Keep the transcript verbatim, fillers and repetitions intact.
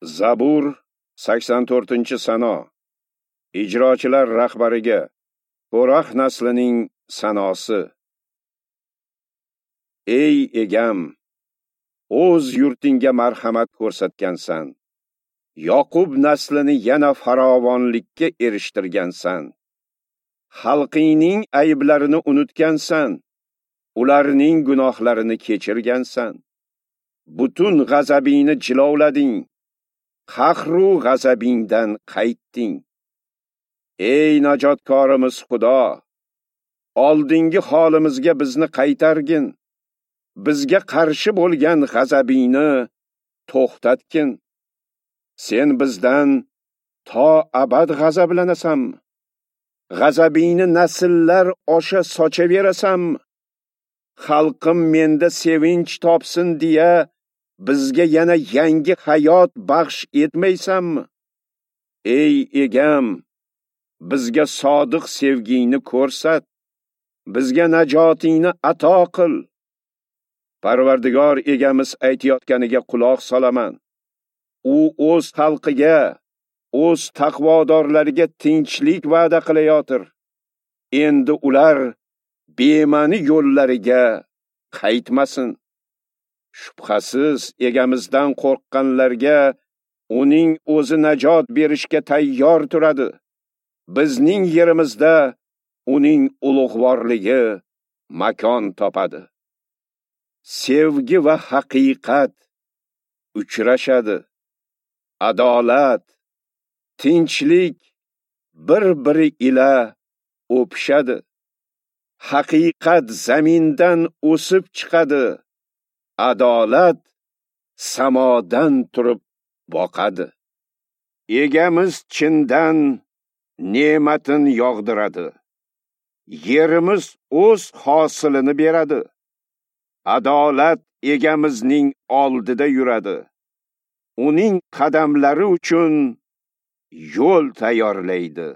Zabur sakson to'rtinchi sano. Ijrochilar rahbariga Ko'rax naslining sanosi. Ey egam, o'z yurtingga marhamat ko'rsatgansan. Yoqub naslini yana farovonlikka erishtirgansan. Xalqingning ayblarini unutgansan, ularning gunohlarini kechirgansan. Butun g'azabingni jilovlading, qahru g'azabingdan qaytding. Ey najotkorimiz Xudo, oldingi holimizga bizni qaytargin. Bizga qarshi bo'lgan g'azabingni to'xtatgin. Sen bizdan to abad g'azablanasanmi? G'azabingni nasllar osha sochaverasanmi? Xalqim menda sevinch topsin deya bizga yana yangi hayot baxsh etmaysanmi? Ey egam, bizga sodiq sevgingni ko'rsat, bizga najotingni ato qil. Parvardigor egamiz aytayotganiga quloq solaman. U o'z xalqiga, o'z taqvodorlariga tinchlik va'da qilayotir. Endi ular bema'ni yo'llariga qaytmasin. Shubhasiz egamizdan qo'rqqanlarga uning o'zi najot berishga tayyor turadi. Bizning yerimizda uning ulug'vorligi makon topadi. Sevgi va haqiqat uchrashadi. Adolat, tinchlik bir-biri ila o'pishadi. Haqiqat zamindan o'sib chiqadi. Adolat samodan turib boqadi. Egamiz chindan ne'matin yog'diradi. Yerimiz o'z hosilini beradi. Adolat egamizning oldida yuradi. Uning qadamlari uchun yo'l tayyorlaydi.